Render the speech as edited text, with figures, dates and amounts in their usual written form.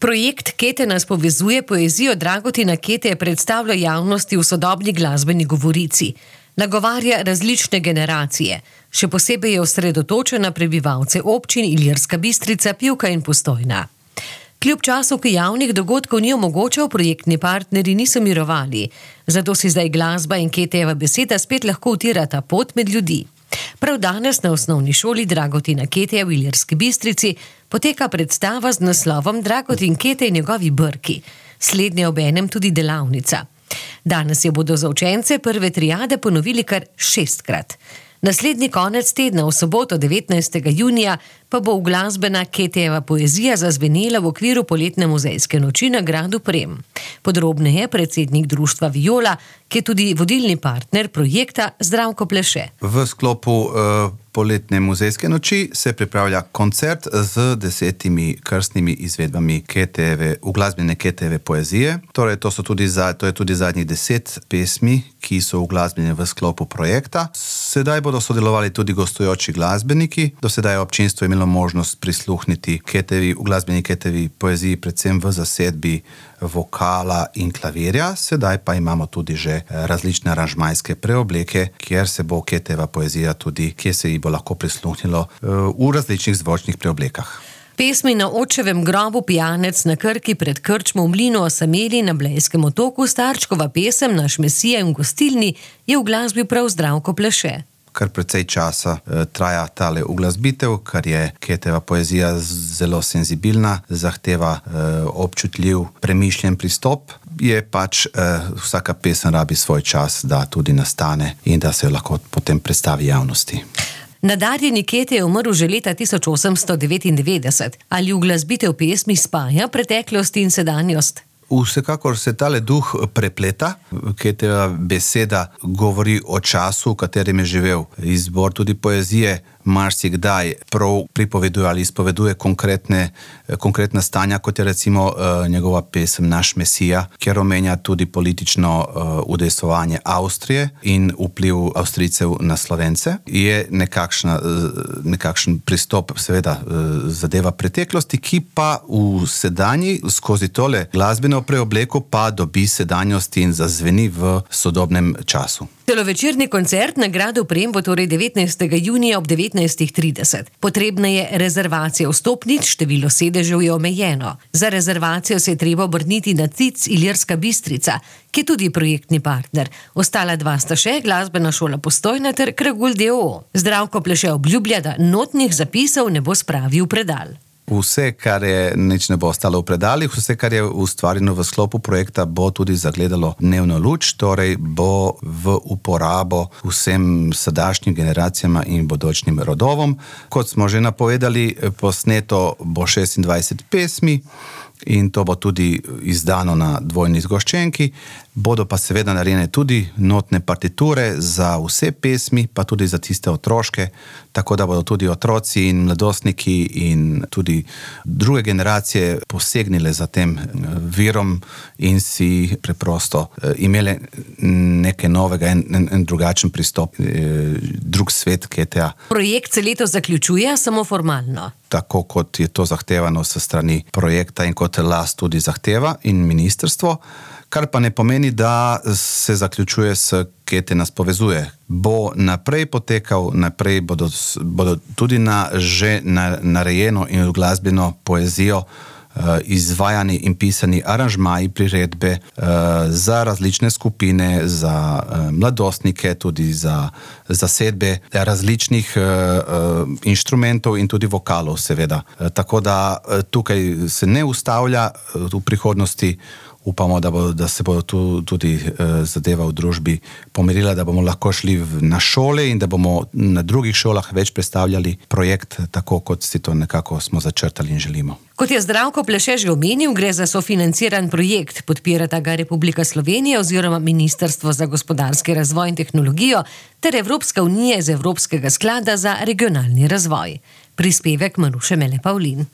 Projekt Kete nas povezuje poezijo Dragotina Kete predstavlja javnosti v sodobni glasbeni govorici. Nagovarja različne generacije. Še posebej je osredotočena na prebivalce občin Ilirska Bistrica, Pivka in Postojna. Kljub času, ki javnih dogodkov ni omogočal, projektni partnerji niso mirovali. Zato si zdaj glasba in Ketejeva beseda spet lahko utirata pot med ljudi. Prav danes na osnovni šoli Dragotina Keteja v Ilirski Bistrici poteka predstava z naslovom Dragotin Kete in njegovi brki. Slednje obenem tudi delavnica. Danes jo bodo za učence prve triade ponovili kar 6-krat. Naslednji konec tedna, v soboto 19. junija, pa bo uglasbena Ketejeva poezija zazvenela v okviru poletne muzejske noči na gradu Prem. Podrobneje predsednik društva Viola, ki je tudi vodilni partner projekta, Zdravko Pleše. V sklopu poletne muzejske noči se pripravlja koncert z 10 krstnimi izvedbami uglasbene Ketejeve poezije. Torej, to je tudi zadnjih 10 pesmi, ki so uglasbljene v sklopu projekta. Sedaj bodo sodelovali tudi gostujoči glasbeniki. Do sedaj je občinstvo imelo možnost prisluhniti uglasbeni Ketajevi poeziji, predvsem v zasedbi vokala in klavirja. Sedaj pa imamo tudi že različne aranžmajske preobleke, kjer se bo Ketejeva poezija tudi, kjer se ji bo lahko prisluhnilo v različnih zvočnih preoblekah. Pesmi Na očevem grobu, Pijanec na Krki, Pred krčmo v mlinu, Osameli, Na Blejskem otoku, Starčkova pesem, Naš Mesija in Gostilni je uglasbil prav Zdravko Pleše. Kar precej časa traja tale uglasbitev, ker je Ketejeva poezija zelo senzibilna, zahteva občutljiv, premišljen pristop. Je pač vsaka pesem rabi svoj čas, da tudi nastane in da se jo lahko potem predstavi javnosti. Nadarjeni Kete je umrl že leta 1899. Ali uglasbitev pesmi spaja preteklost in sedanjost? Vsekakor se tale duh prepleta. Ketejeva beseda govori o času, v katerem je živel. Izbor tudi poezije marsikdaj prav pripoveduje ali izpoveduje konkretna stanja, kot je recimo njegova pesem Naš Mesija, kjer omenja tudi politično udejstvovanje Avstrije in vpliv Avstrijcev na Slovence. Je nekakšen pristop, seveda zadeva preteklosti, ki pa v sedanji, skozi tole glasbeno preobleko pa dobi sedanjost in zazveni v sodobnem času. Celovečerni koncert na gradu Prem bo torej 19. junija ob 19:30. Potrebna je rezervacija vstopnic, število sedežev je omejeno. Za rezervacijo se je treba obrniti na CIC Ilirska Bistrica, ki je tudi projektni partner. Ostala dva sta še, Glasbena šola Postojna ter Kragulj d.o.o. Zdravko Pleše obljublja, da notnih zapisov ne bo spravil v predal. Vse, kar je, nič ne bo ostalo v predalih, vse, kar je ustvarjeno v sklopu projekta, bo tudi zagledalo dnevno luč, torej bo v uporabo vsem sadašnjim generacijama in bodočnim rodovom. Kot smo že napovedali, posneto bo 26 pesmi in to bo tudi izdano na dvojni zgoščenki. Bodo pa seveda narejene tudi notne partiture za vse pesmi, pa tudi za tiste otroške, tako da bodo tudi otroci in mladostniki in tudi druge generacije posegnile za tem virom in si preprosto imele nekaj novega, en drugačen pristop, drug svet Keteja. Projekt se letos zaključuje samo formalno. Tako kot je to zahtevano s strani projekta in kot LAS tudi zahteva in ministrstvo, kar pa ne pomeni, da se zaključuje s Kete nas povezuje. Bo naprej potekal, naprej bodo tudi na že narejeno in uglasbeno poezijo izvajani in pisani aranžmaji, priredbe za različne skupine, za mladostnike, tudi za zasedbe različnih inštrumentov in tudi vokalov, seveda. Tako da tukaj se ne ustavlja v prihodnosti. Upamo, da se bo tudi zadeva v družbi pomirila, da bomo lahko šli na šole in da bomo na drugih šolah več predstavljali projekt, tako kot si to nekako smo začrtali in želimo. Kot je Zdravko Pleše že omenil, gre za sofinanciran projekt. Podpirata ga Republika Slovenija oziroma Ministrstvo za gospodarski razvoj in tehnologijo ter Evropska unija iz Evropskega sklada za regionalni razvoj. Prispevek Maruše Mele Pavlin.